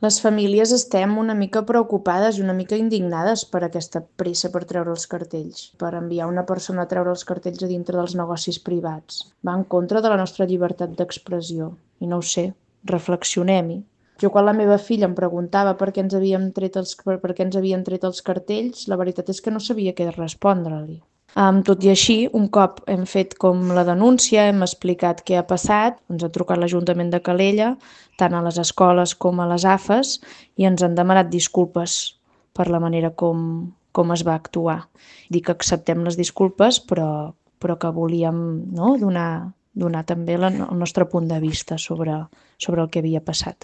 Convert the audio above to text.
Les famílies estem una mica preocupades i una mica indignades per aquesta pressa per treure els cartells, per enviar una persona a treure els cartells a dintre dels negocis privats. Va en contra de la nostra llibertat d'expressió. I no ho sé, reflexionem-hi. Jo quan la meva filla em preguntava per què ens havien tret els cartells, la veritat és que no sabia què respondre-li. Tot i així, un cop hem fet com la denúncia, hem explicat què ha passat, ens ha trucat l'Ajuntament de Calella, tant a les escoles com a les AFES, i ens han demanat disculpes per la manera com es va actuar. Dic que acceptem les disculpes, però que volíem, no, donar també el nostre punt de vista sobre el que havia passat.